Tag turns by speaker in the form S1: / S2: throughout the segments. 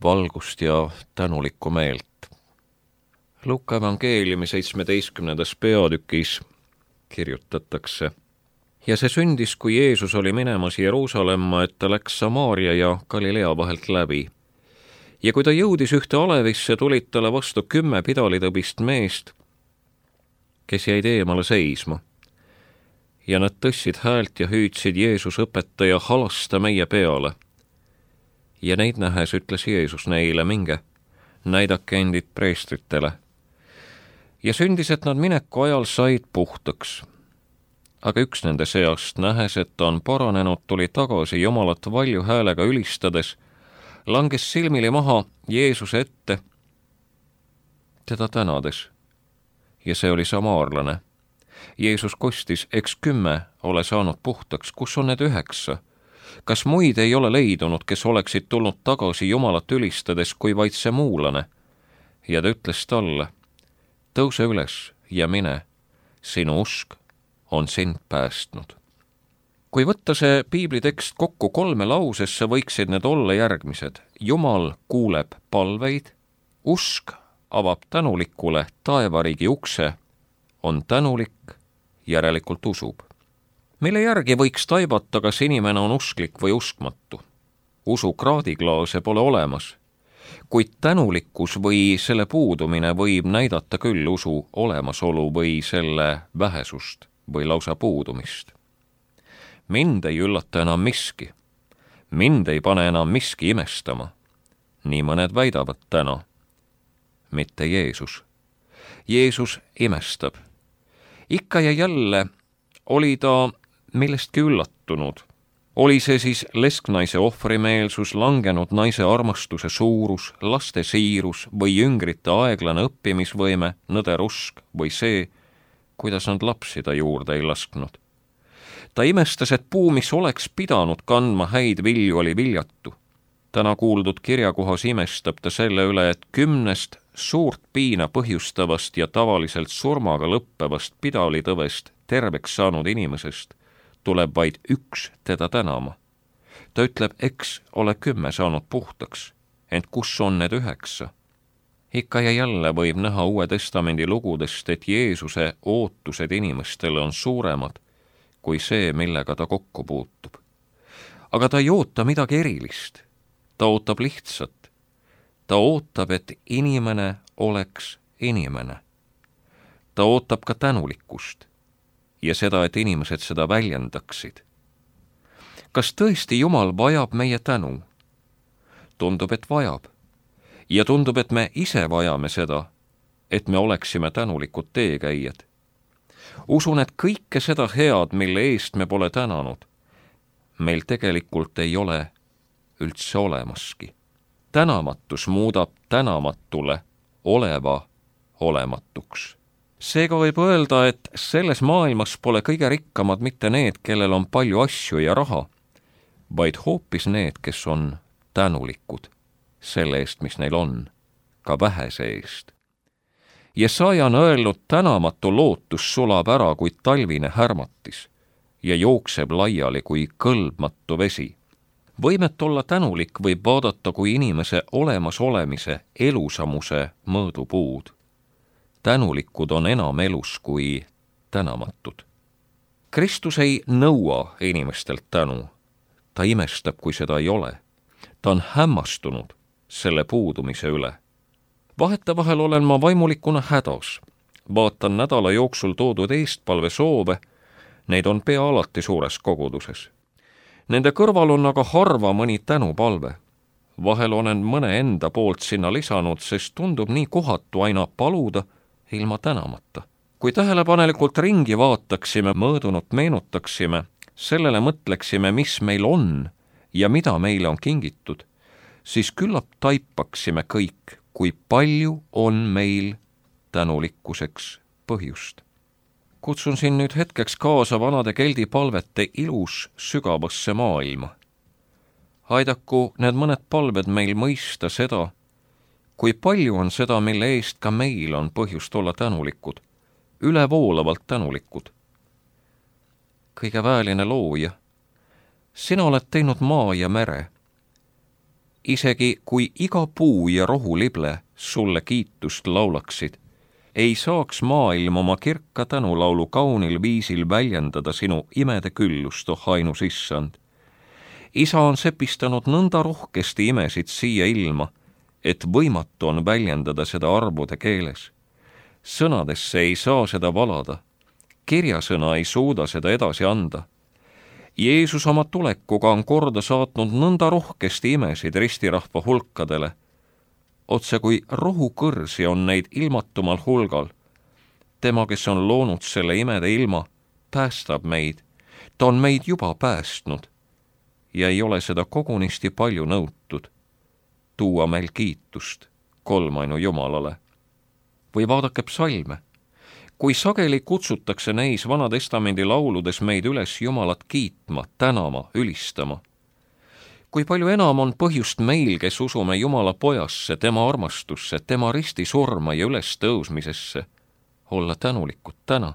S1: valgust ja tänulikku meelt. Luuka evangeeliumi 17. peatükis kirjutatakse: ja see sündis, kui Jeesus oli minemas Jeruusalemma, et ta läks Samaaria ja Galilea vahelt läbi. Ja kui ta jõudis ühte alevisse, tulid talle vastu 10 pidalitõbist meest, kes jäid eemale seisma. Ja nad tõstsid häält ja hüüdsid: Jeesus, õpetaja, halasta meie peale. Ja neid nähes ütles Jeesus neile: minge, näidake endid preestritele. Ja sündis, et nad mineku ajal said puhtaks. Aga üks nende seast, nähes, et ta on paranenud, tuli tagasi Jumalat valju häälega ülistades, langes silmili maha Jeesuse ette, teda tänades. Ja see oli samaarlane. Jeesus kostis: eks 10 ole saanud puhtaks, kus on need 9? Kas muid ei ole leidunud, kes oleksid tulnud tagasi Jumalat ülistades, kui vaid see muulane? Ja ta ütles talle: tõuse üles ja mine, sinu usk on sind päästnud. Kui võtta see piiblitekst kokku 3 lausesse, võiksid need olla järgmised: Jumal kuuleb palveid, usk avab tänulikule taevariigi ukse, on tänulik, järelikult usub. Mille järgi võiks taibata, kas inimene on usklik või uskmatu? Usu kraadiklaase pole olemas, kuid tänulikkus või selle puudumine võib näidata küll usu olemasolu või selle vähesust või lausa puudumist. Mind ei üllata enam miski. Mind ei pane enam miski imestama. Nii mõned väidavad täna. Mitte Jeesus. Jeesus imestab. Ikka ja jälle oli ta millestki üllatunud. Oli see siis lesknaise ohvrimeelsus, langenud naise armastuse suurus, laste siirus või jüngrite aeglane õppimisvõime, nõder usk või see, kuidas nad lapsi ta juurde ei lasknud. Ta imestas, et puu, mis oleks pidanud kandma häid vilju, oli viljatu. Täna kuuldud kirjakohas imestab ta selle üle, et 10 suurt piina põhjustavast ja tavaliselt surmaga lõppevast pidalitõvest terveks saanud inimesest tuleb vaid 1 teda tänama. Ta ütleb: eks ole 10 saanud puhtaks, ent kus on need 9? Ikka ja jälle võib näha Uue Testamendi lugudest, et Jeesuse ootused inimestele on suuremad kui see, millega ta kokku puutub. Aga ta ei oota midagi erilist. Ta ootab lihtsat. Ta ootab, et inimene oleks inimene. Ta ootab ka tänulikkust ja seda, et inimesed seda väljendaksid. Kas tõesti Jumal vajab meie tänu? Tundub, et vajab. Ja tundub, et me ise vajame seda, et me oleksime tänulikud teekäijad. Usun, et kõike seda head, mille eest me pole tänanud, meil tegelikult ei ole üldse olemaski. Tänamatus muudab tänamatule oleva olematuks. Seega võib öelda, et selles maailmas pole kõige rikkamad mitte need, kellel on palju asju ja raha, vaid hoopis need, kes on tänulikud selle eest, mis neil on, ka vähese eest. Jesaja on öelnud: tänamatu lootus sulab ära kui talvine härmatis ja jookseb laiali kui kõlbmatu vesi. Võimet olla tänulik võib vaadata kui inimese olemasolemise elusamuse mõõdupuud. Tänulikud on enam elus kui tänamatud. Kristus ei nõua inimestelt tänu. Ta imestab, kui seda ei ole. Ta on hämmastunud selle puudumise üle. Vahetevahel olen ma vaimulikuna hädas. Vaatan nädala jooksul toodud eestpalvesoove, neid on pea alati suures koguduses. Nende kõrval on aga harva mõni tänupalve. Vahel olen mõne enda poolt sinna lisanud, sest tundub nii kohatu aina paluda ilma tänamata. Kui tähelepanelikult ringi vaataksime, mõõdunut meenutaksime, sellele mõtleksime, mis meil on ja mida meile on kingitud, siis küllap taipaksime kõik, kui palju on meil tänulikkuseks põhjust. Kutsun siin nüüd hetkeks kaasa vanade keldi palvete ilus sügavasse maailma. Aidaku need mõned palved meil mõista seda, kui palju on seda, mille eest ka meil on põhjust olla tänulikud, ülevoolavalt tänulikud. Kõige väeline looja, sina oled teinud maa ja mere. Isegi kui iga puu ja rohulible sulle kiitust laulaksid, ei saaks maailm oma kirka tänulaulu kaunil viisil väljendada sinu imede küllust, oh ainus issand. Isa on sepistanud nõnda rohkesti imesid siia ilma, et võimatu on väljendada seda arvude keeles. Sõnadesse ei saa seda valada, kirjasõna ei suuda seda edasi anda. Jeesus oma tulekuga on korda saatnud nõnda rohkesti imesid ristirahva hulkadele, otse kui rohukõrsi on neid ilmatumal hulgal. Tema, kes on loonud selle imede ilma, päästab meid. Ta on meid juba päästnud ja ei ole seda kogunisti palju nõutud. Tuua meil kiitust kolmainu Jumalale. Või vaadake psalme. Kui sageli kutsutakse neis Vanatestamendi lauludes meid üles Jumalat kiitma, tänama, ülistama. Kui palju enam on põhjust meil, kes usume Jumala pojasse, tema armastusse, tema ristisurma ja ülestõusmisesse, olla tänulikud täna.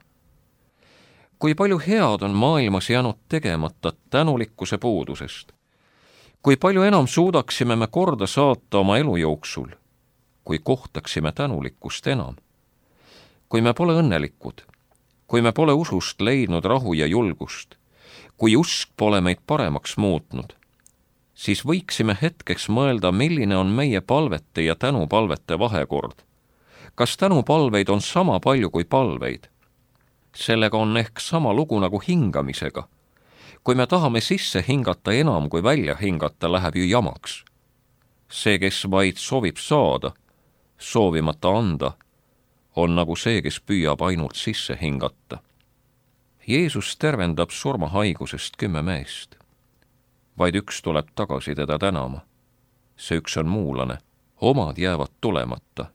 S1: Kui palju head on maailmas jäänud tegemata tänulikkuse puudusest. Kui palju enam suudaksime me korda saata oma elu jooksul, kui kohtaksime tänulikkust enam. Kui me pole õnnelikud, kui me pole usust leidnud rahu ja julgust, kui usk pole meid paremaks muutnud, siis võiksime hetkeks mõelda, milline on meie palvete ja tänupalvete vahekord. Kas tänupalveid on sama palju kui palveid? Sellega on ehk sama lugu nagu hingamisega. Kui me tahame sisse hingata enam kui välja hingata, läheb ju jamaks. See, kes vaid soovib saada, soovimata anda, on nagu see, kes püüab ainult sisse hingata. Jeesus tervendab surmahaigusest 10 meest. Vaid üks tuleb tagasi teda tänama. See üks on muulane. Omad jäävad tulemata.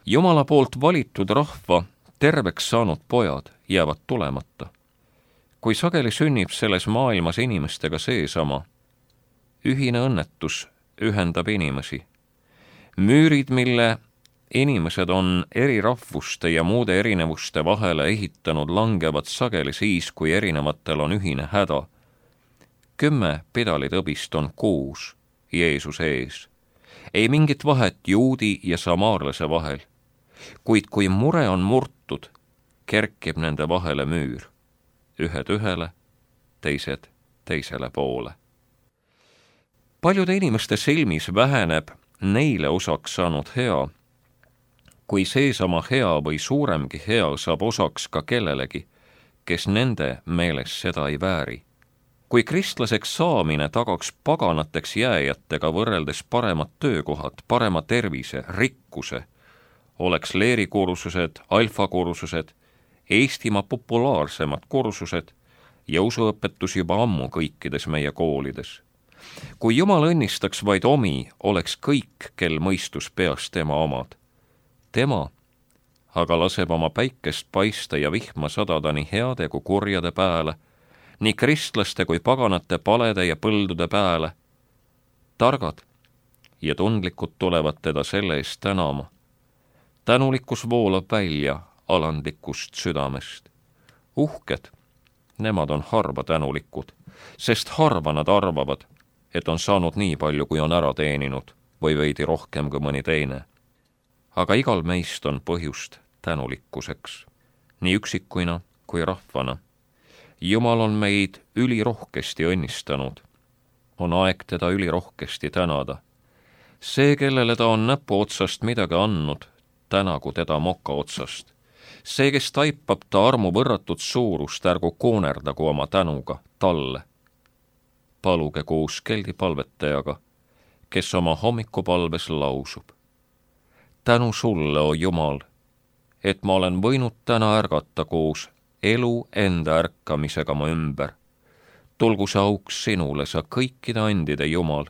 S1: Jumala poolt valitud rahva terveks saanud pojad jäävad tulemata. Kui sageli sünnib selles maailmas inimestega seesama, ühine õnnetus ühendab inimesi. Müürid, mille inimesed on eri rahvuste ja muude erinevuste vahele ehitanud, langevad sageli siis, kui erinevatel on ühine häda. 10 pidalitõbist on 6 Jeesuse ees. Ei mingit vahet juudi ja samaarlase vahel. Kuid kui mure on murtud, kerkib nende vahele müür. Ühed ühele, teised teisele poole. Paljude inimeste silmis väheneb neile osaks saanud hea, kui seesama hea või suuremgi hea saab osaks ka kellelegi, kes nende meeles seda ei vääri. Kui kristlaseks saamine tagaks paganateks jääjatega võrreldes paremad töökohad, parema tervise, rikkuse, oleks leerikursused, alfakursused, Eestimaa populaarsemad kursused ja usuõpetus juba ammu kõikides meie koolides. Kui Jumal õnnistaks vaid omi, oleks kõik, kel mõistus peas tema omad. Tema aga laseb oma päikest paista ja vihma sadada nii heade kui kurjade pääle, nii kristlaste kui paganate palede ja põldude pääle. Targad ja tundlikud tulevad teda selle eest tänama. Tänulikkus voolab välja alandlikust südamest. Uhked, nemad on harva tänulikud, sest harva nad arvavad, et on saanud nii palju, kui on ära teeninud, või veidi rohkem kui mõni teine. Aga igal meist on põhjust tänulikkuseks, nii üksikuina kui rahvana. Jumal on meid ülirohkesti õnnistanud. On aeg teda ülirohkesti tänada. See, kellele ta on näpu otsast midagi andnud, tänagu teda moka otsast. See, kes taipab ta armu võrratut suurust, ärgu koonerdagu oma tänuga talle. Paluge koos keldipalvetajaga, kes oma hommikupalves lausub. Tänu sulle, o Jumal, et ma olen võinud täna ärgata koos elu enda ärkamisega mu ümber. Tulgu see auks sinule, sa kõikide andide Jumal,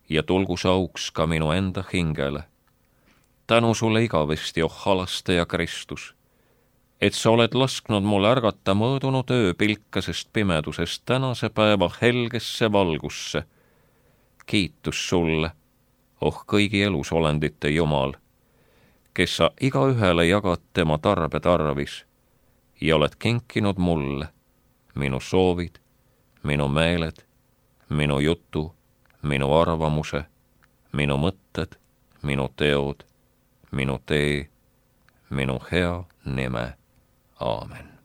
S1: ja tulgu see auks ka minu enda hingele. Tänu sulle igavesti, oh halastaja Kristus, et sa oled lasknud mul ärgata mõõdunud öö pilkasest pimedusest tänase päeva helgesse valgusse. Kiitus sulle, oh kõigi elusolendite Jumal, kes sa igaühele jagad tema tarbe tarvis ja oled kinkinud mulle minu soovid, minu meeled, minu jutu, minu arvamuse, minu mõtted, minu teod, minu tee, minu hea nime. Aamen.